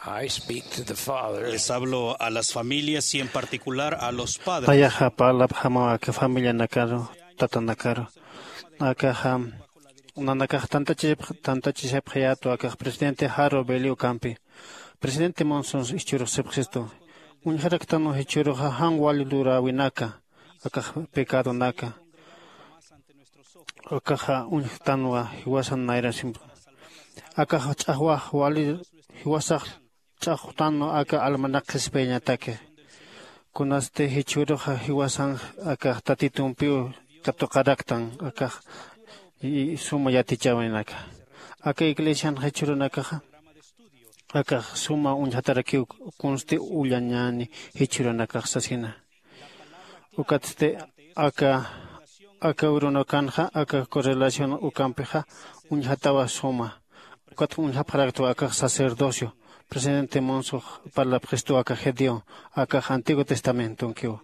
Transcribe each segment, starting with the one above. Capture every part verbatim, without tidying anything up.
I speak to the fathers. Les hablo a las familias y en particular a los padres. Ayaxa parlapxamaw aka familianakaru, tatanakaru. Akaxa nanakax tantachishapxayätu akax presidente Harold Bailey ukampi. Presidente Monson jichhürux sapxistu, uñjaraktanwa jichhüruxa jan wali luräwinaka, akax pecadonaka. Akaxa uñjtanwa jiwasan nayrasimpa. Akax ch'axwax wali jiwasax ch'axwtanwa aka almanak qhispiyañataki. Kunasti jichhüruxa jiwasan akax tatitumpiw katuqaraktan akax suma yatichäwinaka. Aka iglesian jichhürunakaxa akax suma uñjatarakiw kunsti ullañäni jichhürunakax sasina. Ukatsti aka aka urunakanxa aka correlación ukampixa uñjatawa suma. Ukat uñjapxaraktwa akax sacerdocio presidente Monsox parlapxistu aka gedeón akax antiguo testamentonkiw.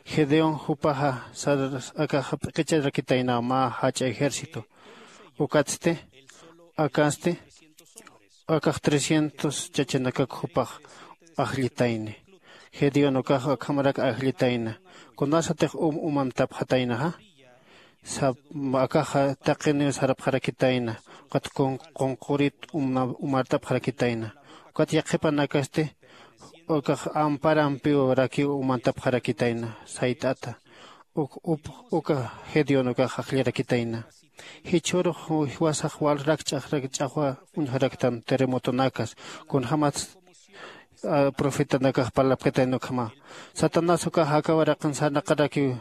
Gedeón jupaxa sar akax p'iqicharakitaynaw mä jach'a ejército. Ukatsti akasti akax trescientos chachanakak jupax ajllitayni. Gedeón ukax akhamarak ajllitayna. Kunasatix um umamtapxataynaxa akaxa taqiniw sarapxarakitayna. Ukat qunqurit umartapxarakitayna. Ukat yaqhipanakasti ukax amparampiw rakiw umantapxarakitayna sayt'ata. Uka gedeón ukax ajllarakitayna. Jichhürux jiwasax wal rakch'axrak ch'axwa uñjaraktan terremotonakas kunjämats profetanakax parlapkatayna ukhama. Satanás ukax aka waraqin sarnaqarakiw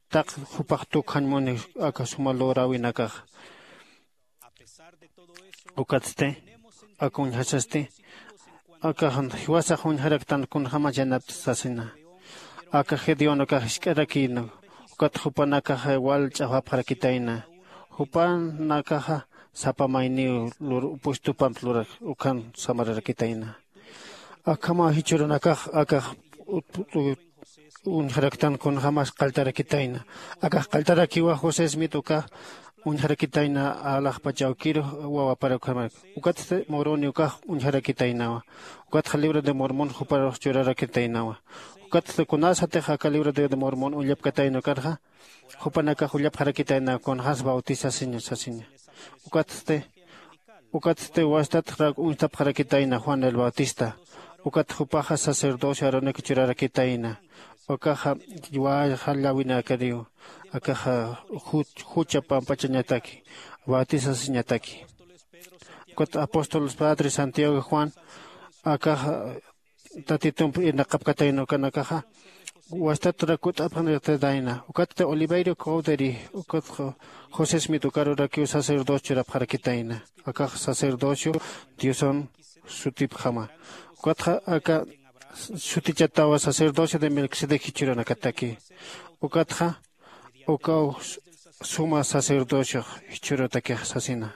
taq jupax tukjañ muni aka suma luräwinakax. Ukatsti aka uñjasasti akax jiwasax uñjaraktan kunjämas yanapta sasina. Aka gedeón ukax jisk'arakïna. Ukat jupanakax wal ch'axwapxarakitayna. Jupanakaxa sapa mayniw lur puestupamp lurak ukan samararakitayna. Akhama jichhürunakax akax uñjaraktan kunjämas qalltarakitayna. Akax qalltarakiwa josé smit ukax uñjarakitayna alaxpach awkirux wawapar ukhamaraki. Ukatsti moroni ukax uñjarakitaynawa. Ukatxa libro de mormón juparux churarakitaynawa. Ukatsti kunasatix aka libro de mormón ullapkatayna ukarxa jupanakax ullapxarakitayna kunjämas bautizasiña sasiña. Ukatsti ukatsti wastatxrak uñstapxarakitayna juan el bautista. Ukat jupaxa sacerdocio aronak churarakitayna. Ukaxa wayxallawinakariw akaxa jucha pampachañataki bautizasiñataki. Ukat apóstoles padre santiago juan akaxa tatitump irnaqapkatayna ukanakaxa wastatrak kut'apxarakitayna. Ukatsti oliverio cowdery ukat josé smit ukarurakiw sacerdocio churapxarakitayna. Akax sacerdocio diosan sutipjama. Ukatxa aka sutichatawa sacerdocio de melquisedec jichhürunakataki. Ukatxa ukaw suma sacerdociox jichhürutakix sasina.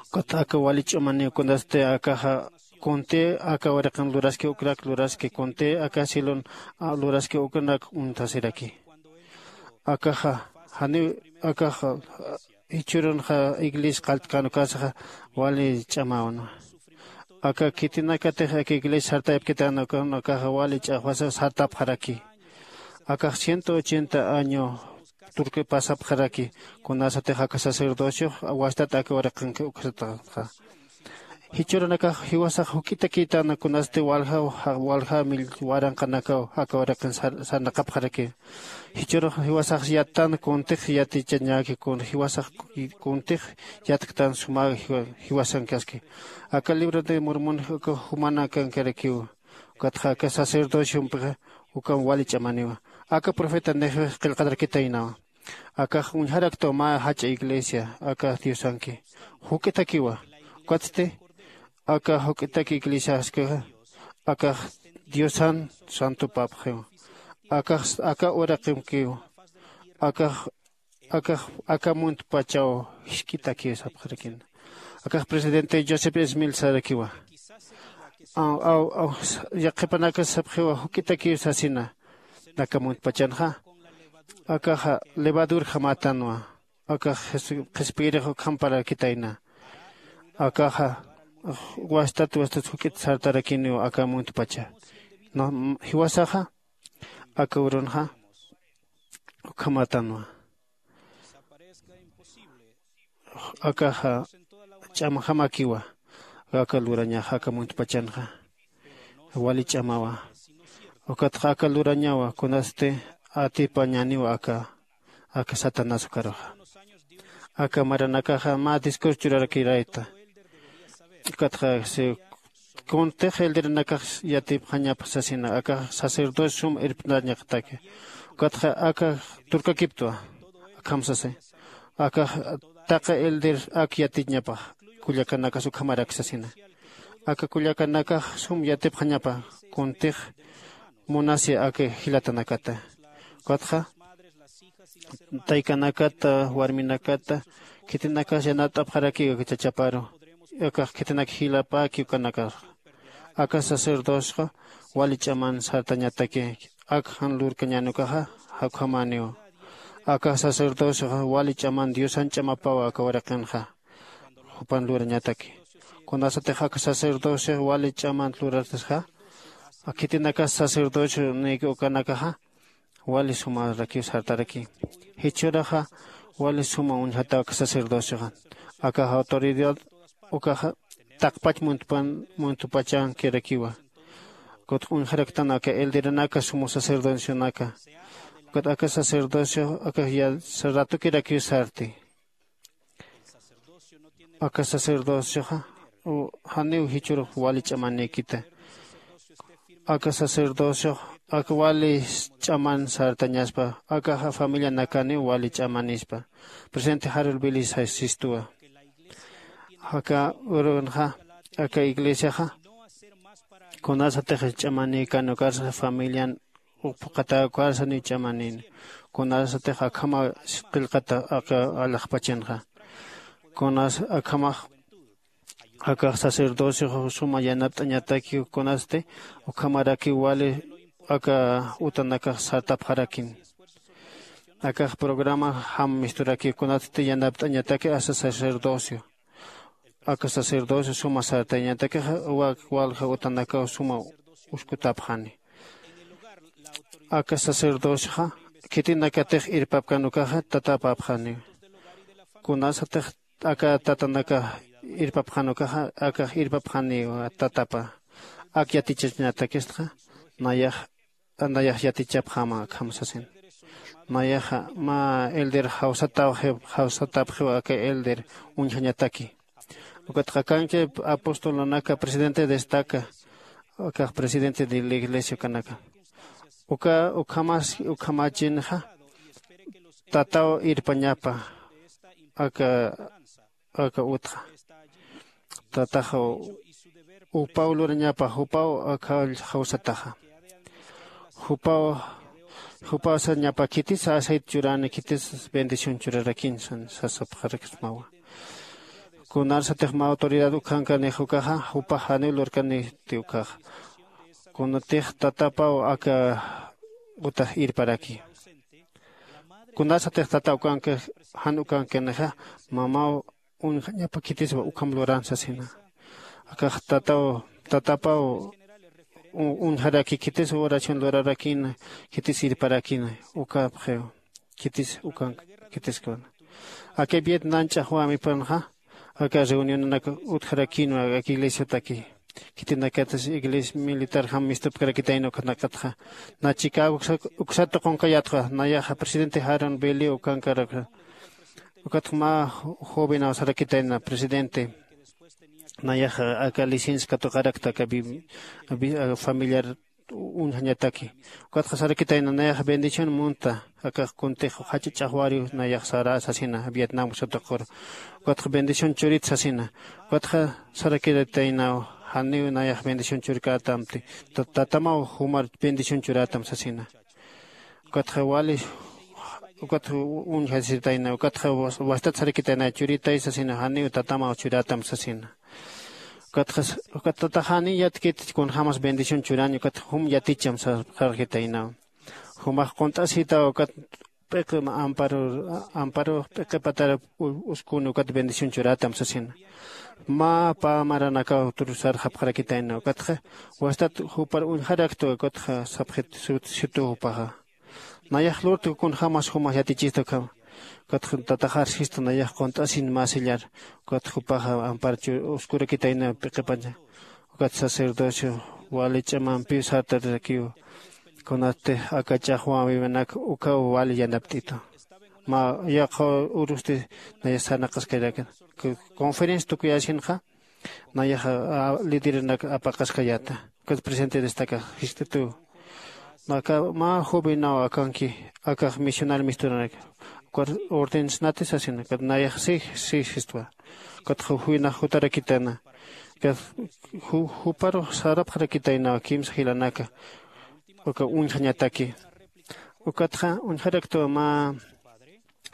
Ukat aka wali ch'amaniw kunasti akaxa kunti aka waraqin luraski ukrak luraski kunti aka silon luraski uknak uñtasiraki. Akaxa janiw akaxa jichhürunxa iglesia qalltkan ukasaxa wali ch'amawnwa. Aka khitinakatix aka iglesia sartayapkitan ukan akaxa wali ch'axwasa sartapxaraki. Akax ciento ochenta año turki pasapxaraki. Kunasatix aka sacerdociox wastat aka waraqanki uksataxa. Jichhürunakax jiwasax juk'itakïtana kunasti waljaw walja waranqanakaw aka waraqin sarnaqapxaraki. Jichhürux jiwasax yattan kuntix yatichañäki kun jiwasax kuntix yatktan suma jiwasankaski. Aka libro de mormón uka jumanakankarakiw. Ukatxa aka sacerdociompixa ukham wali ch'amaniwa. Aka profetanixix qillqatarakitaynawa. Akax uñjaraktaw mä jach'a iglesia aka diosanki juk'itakiwa. Ukatsti aka juk'itak iglesiaskixa akax diosan santupapxiwa. Akax aka uraqimkiwa. Akax akax aka muntpachaw jisk'itakiw sapxarakina. Akax presidente joseph smil sarakiwa. Aw aw aw yaqhipanakas sapxiwa juk'itakiw sasina. Aka muntpachanxa akaxa levadurjamätanwa. Akax qhispiyirix ukhamparakitayna. Akaxa wastat wastat juk'it sartarakiniw aka muntpacha. Jiwasaxa aka urunxa ukhamatanwa. Akaxa ch'amjamakiwa. Aka lurañaxa aka muntpachanxa wali ch'amawa. Ukatxa aka lurañawa kunasti atipañaniwa aka aka satanás ukaruxa. Aka maranakaxa mä discurso churarakirayta. Ukatxa kuntix elderanakax yatipxañapa sasina aka sacerdocio sum irpnañaqtaki. Ukatxa aka turkakiptwa akham sasi. Aka taqa elder ak yatiñapa kullakanakas ukhamarak sasina. Aka kullakanakax sum yatipxañapa kuntix munasi aka jilatanakata. Ukatxa taykanakata warminakata khitinakas yanat'apxarakiw aka chachaparu. Akax khitinak jilapäki ukanakax aka sacerdocixa wali ch'aman sartañataki. Ak jan lurkañän ukaxa jakjamaniw. Aka sacerdocixa wali ch'aman diosan ch'amapaw aka waraqinxa jupan lurañataki. Kunasatix aka sacerdocixa wali ch'aman lurartasxa khitinakas sacerdocio niyki ukanakaxa wali sumarakiw sartaraki. Jichhüraxa wali suma uñjataw aka sacerdocioxa. Aka autoridad ukaxa taqpach muntpachankirakiwa. Kutx uñjaraktan aka elderanaka sumu sacerdocionaka. Ukat aka sacerdocio aka ratukirakiw sarti. Aka sacerdocioxa janiw jichhürux wali ch'amanïkita. Aka sacerdociox aka wali ch'aman sartañaspa akaxa familianakaniw wali ch'amanispa. Presidente harul bilis sistuwa. Aka urunxa aka iglesiaxa kunasatix ch'amanïkan ukarsa familian uphuqatäkarsa niw ch'amanïn. Kunasatix akhama qillqata aka alaxpachanxa. Kunas akhamax akax sacerdocio suma yanapt'añataki kunasti ukhamarakiw wali aka utanakax sartapxarakin. Akax programa jam misturaki kunatsti yanapt'añataki asa sacerdocio. Aka sacerdocio suma sartañatakixa wak walja utanakaw suma uskutapxani. Aka sacerdocioxa khitinakatix irpapkan ukaxa tatapapxaniw. Kunasatix aka tatanaka irpapxan ukaxa akax irpapxaniw tatapa. Ak yatichañatakistxa nayax nayax yatichapxama akham sasin. Nayaxa mä elder jawsatapxiw aka elder uñjañataki. Ukatxa kanki apostolunaka presidente destaca akax presidente de la iglesia ukanaka. Uka ukhamas ukhamachinxa tataw irpañapa aka aka utxa. Tataxa jupaw lurañapa jupaw aka jawsataxa. Jupaw jupaw sañapa khitis aceite churani khitis bendición churarakin sasapxarakismawa. Kunarsatix mä autoridad ukhankanix ukaxa jupax janiw lurkaniti ukaxa. Kunatix tatapaw aka utax irparaki. Kunasatix tata ukanki jan ukankinixa mamaw uñjañapa khitiswa ukham luran sasina. Akax tataw tatapaw uñjaraki khitis oración lurarakina khitis irparakina ukapxiw khitis ukank khitiskuna. Aka vietnam ch'axwamipanxa aka reunionanak utjarakinwa aka iglesiataki. Khitinakatas iglesia militarjam mistupkarakitayna ukhanakatxa na chicago uksat tuqunkayatxa nayaxa presidente jaron beliw ukankarakxa. Ukatxa mä jovenaw sarakitayna presidente nayaxa aka licencia katuqarakta aka familiar uñjañataki. Ukatxa sarakitayna nayax bendición munta akax kuntix jach'a ch'axwariw nayax sara sasina vietnam satuqur. Ukatxa bendición churit sasina. Ukatxa sarakitaynaw janiw nayax bendición churkätamti tatamaw jumar bendición churätam sasina. Ukatxa wali ukatxa uñjasitayna ukatxa wastat sarakitayna churitay sasina janiw tatamaw churätam sasina. Ukatxa ukat tatax janiy yatkit kunjämas bendición churañ ukatxa jum yaticham sarxitaynaw. Jumax qunt'asitaw ukat p'iqi amparo amparo p'iqipatara uskuni ukat bendición churatam sasina. Mä pä maranakaw turusarxapxarakitayna ukatxa wastat jupar uñjaraktwa ukatxa sapxit sut situ jupaxa. Nayax lurtki kunjämas jumax yatichista ukhama. Ukatxa tataxar sistu nayax qunt'asin mä sillar. Ukatxa jupaxa ampar uskurakitayna p'iqipaña. Ukat sacerdocio wali ch'amampiw sartarirakiw. Kunatsti aka ch'axwäwiwinak ukaw wali yanapt'itu. Mä yaqha urusti nayax sarnaqaskayrakan. Conferencia tukuyäsinxa nayaxa lideranak apaqaskayäta. Ukat presidente destaka jist'ituw. Aka mä jovenaw akanki akax misional misturanak. Ukar ordenasnati sasina ukat nayax si si jistwa. Ukatxa juynax jutarakitana. Ukat juparux sarapxarakitaynawa kimsa jilanaka. Uka uñjañataki. Ukatxa uñjaraktwa mä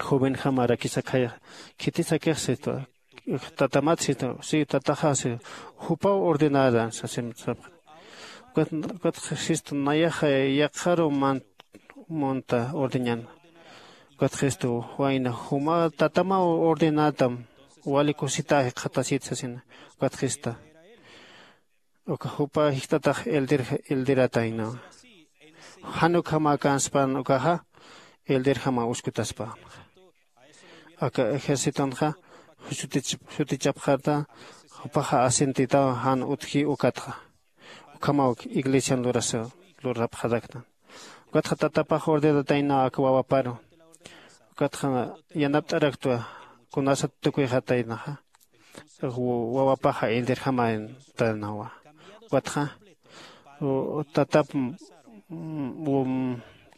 jovenjamarakis akhaya khitisakix sitwa. Tatamat sitwa si tataxa si jupaw ordenada sasim sapxi. Ukatxa sistu nayaxa yaqharu mant munta ordeñan. Ukatxa sistu wayna juma tatamaw ordenatam wali kusita jikxatasit sasina. Ukatxa sista uka jupa jikxtatax elder elderataynawa. Jan ukhama akanspan ukaxa elderjama uskutaspa. Aka ejércitonxa sutichapxata jupaxa asentitaw jan utji ukatxa. Ukhamaw iglesian lurasa lurapxaraktan. Ukatxa tatapax ordenataynaw aka wawaparu. Ukatxa yanapt'araktwa kunasat tukuyxataynaxa wawapaxa elderjamaytanawa. Ukatxa tatap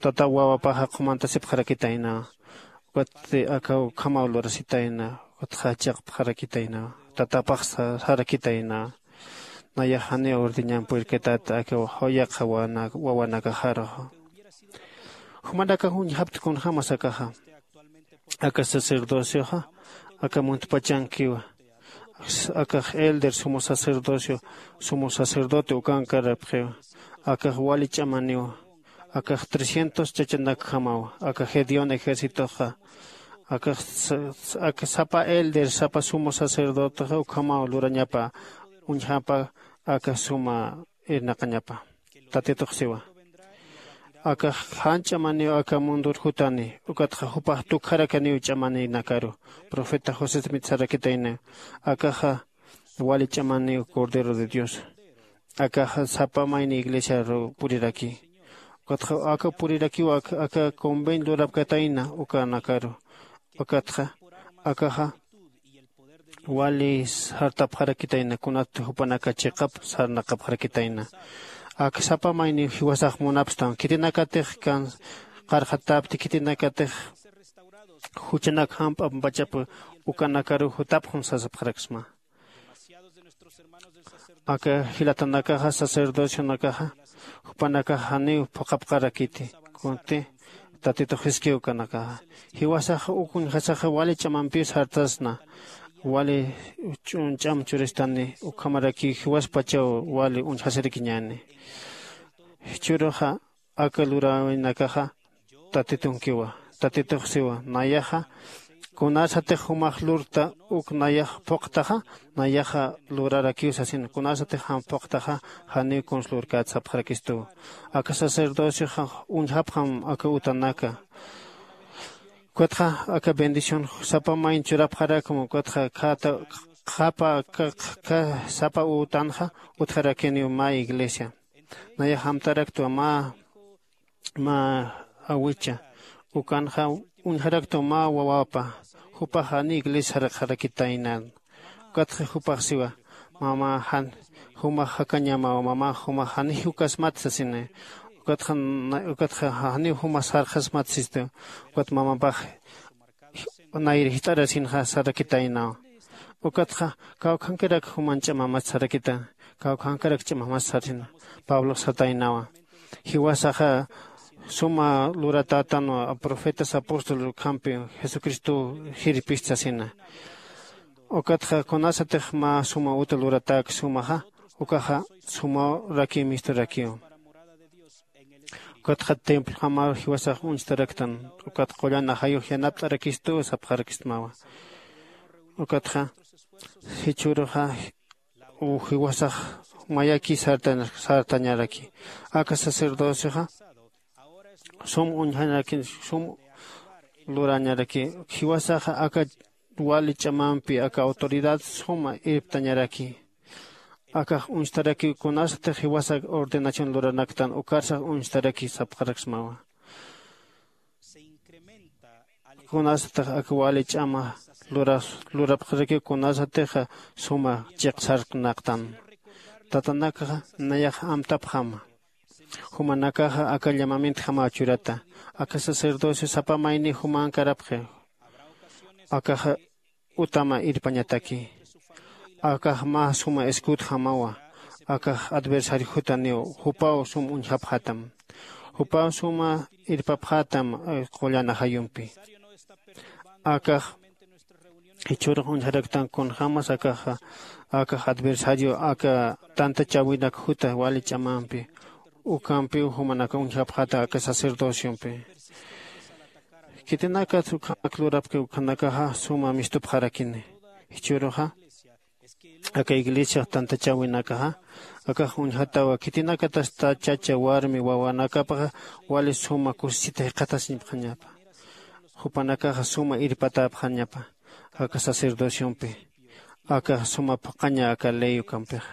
tatap wawapaxa qhumantasipxarakitaynawa. Ukatsti aka ukhamaw lurasitayna. Ukatxa chiqpxarakitaynawa tatapax sarakitaynawa. Nayax janiw ordeñan purirkatata aka yaqha wawanakaxaruxa. Jumanakax uñjapti kunjämas akaxa. Aka sacerdocioxa aka muntpachankiwa. Akax elder sumo sacerdocio sumo sacerdote ukankarapxiwa. Akax wali ch'amaniwa. Akax trescientos chachanakjamawa aka gedeón ejércitoxa. Akax aka sapa elder sapa sumo sacerdotexa ukhamaw lurañapa uñjapa aka suma irnaqañapa. Tatitux siwa akax jan ch'amaniw aka mundur jutani. Ukatxa jupax tukjarakaniw ch'amaninakaru. Profeta josesmit sarakitayna akaxa wali ch'amaniw cordero de dios. Akaxa sapa mayni iglesiaru puriraki. Ukatxa aka purirakiw aka conven lurapkatayna ukanakaru. Ukatxa akaxa wali sartapxarakitayna kunatsti jupanaka chiqap sarnaqapxarakitayna. Ak sapa mayniw jiwasax munapstan khitinakatix kan qarxatapti khitinakatix juchanak jamp'ampachap ukanakaruw jutapxun sasapxaraksma. Aka jilatanakaxa sacerdocionakaxa jupanakax janiw phuqhapxarakiti. Kunti tatitux jiskiw ukanakaxa jiwasaxa uk uñjasaxa wali ch'amampiw sartasna. Wali ch'am churistani ukhamarakiw jiwaspachaw wali uñjasirakiñäni. Jichhüruxa aka luräwinakaxa tatitunkiwa. Tatitux siwa nayaxa kunasatix jumax lurta uk nayax phuqtaxa nayaxa lurarakiw sasina kunasatix jam phuqtaxa janiw kuns lurkät sapxarakistuw. Aka sacerdocioxa uñjapxam aka utanaka. Ukatxa aka bendición sapa mayn churapxarakma ukatxa khata qhapa sapa utanxa utjarakiniw mä iglesia. Nayax amtaraktwa mä mä awicha ukanxa uñjaraktwa mä wawapa. Jupax janiw iglesia saraqxarakitaynan. Ukatxa jupax siwa mama jan jumax jakañamaw mama jumax janiw jukasmat sasina. Ukatxa ukatxa janiw jumax sarxasmat sistu. Ukat mamapax nayri jist'arasinxa sarakitaynaw. Ukatxa kawkhankarak juman ch'amamas sarakita. Kawkhankarak ch'amamas sarsina. Pablox sataynawa jiwasaxa suma luratätanwa profetas apóstol ukhampi jesucristow jirpist sasina. Ukatxa kunasatix mä suma uta luratäk sumaxa ukaxa sumawrakiw misturakiw. Ukatxa templojamaw jiwasax uñstaraktan. Ukat qullan ajayux yanapt'arakistu sapxarakistmawa. Ukatxa jichhüruxa jiwasax mayaki sartañaraki. Aka sacerdocioxa sum uñjanaraki, sum lurañaraki. Jiwasaxa aka wali ch'amampi aka autoridad suma irptañaraki. Akax uñstarakiw kunasatix jiwasa ordenación luranaktan ukarsax uñstaraki sapxaraksmawa. Kunasatix aka wali ch'ama lurapxarakiw kunasatixa suma chiqsarknaqtan. Tatanakaxa nayax amtapxama. Jumanakaxa aka llamamientjamaw churata. Aka sacerdocio sapa mayni jumankarapxi. Akaxa utama irpañataki. Akax mä suma escudjamawa. Akax adversariojutaniw jupaw sum uñjapxatam. Jupaw suma irpapxatam qullan ajayumpi. Akax jichhürux uñjaraktan kunjämas akaxa akax adversario aka tantachäwinak juta wali ch'amampi. Ukampiw jumanaka uñjapxata aka sacerdociompi. Khitinakat ukhanak lurapki ukhanakaxa suma mistupxarakini. Jichhüruxa aka iglesiax tantachäwinakaxa akax uñjatawa khitinakatasta chacha warmi wawanakapaxa wali suma kusisita jiqatasiñapxañapa. Jupanakaxa suma irpatäpxañapa aka sacerdociompi. Akax suma phuqhaña aka ley ukampixa.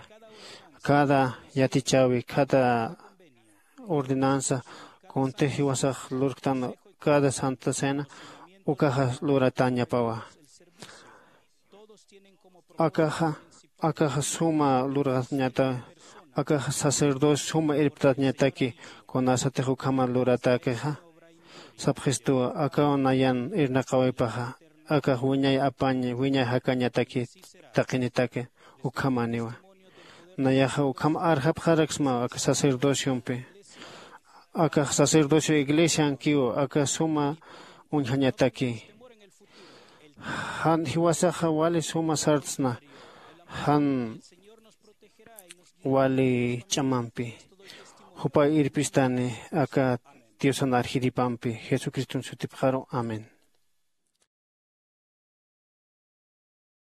Cada yatichäwi cada ordenanza kuntix jiwasax lurktan cada santa cena ukaxa luratäñapawa. Akaxa akaxa suma lurañata. Akaxa sacerdocio suma irptañataki kunasatix ukhama luratäkixa. Sapxistuwa akaw nayan irnaqäwipaxa akax wiñay apañ wiñay jakañataki taqinitaki. Ukhamaniwa nayaxa ukham arjapxaraksmaw aka sacerdociompi. Akax sacerdocio iglesiankiw aka suma uñjañataki. Jan jiwasaxa wali suma sartsna jan wali ch'amampi. Jupay irpistani aka diosan arjiripampi jesucriston sutipxaru. Amén.